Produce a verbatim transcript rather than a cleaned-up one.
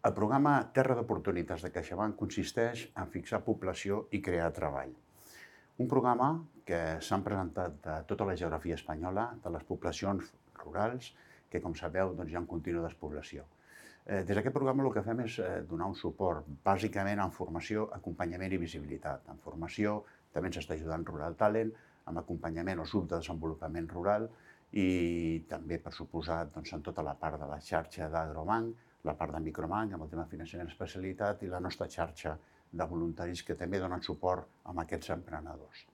El programa Terra d'Oportunitats de CaixaBank consisteix en fixar població i crear treball. Un programa que s'han presentat de tota la geografia espanyola, de les poblacions rurals, que, com sabeu, doncs, hi ha un continu despoblació. Des d'aquest programa el que fem és donar un suport, bàsicament en formació, acompanyament i visibilitat. En formació també ens està ajudant Rural Talent, amb acompanyament o subdesenvolupament rural i també, per suposat, doncs, en tota la part de la xarxa d'Agrobank, la part de Microbank, amb el tema de finançament especialitat i la nostra xarxa de voluntaris que també donen suport a aquests emprenedors.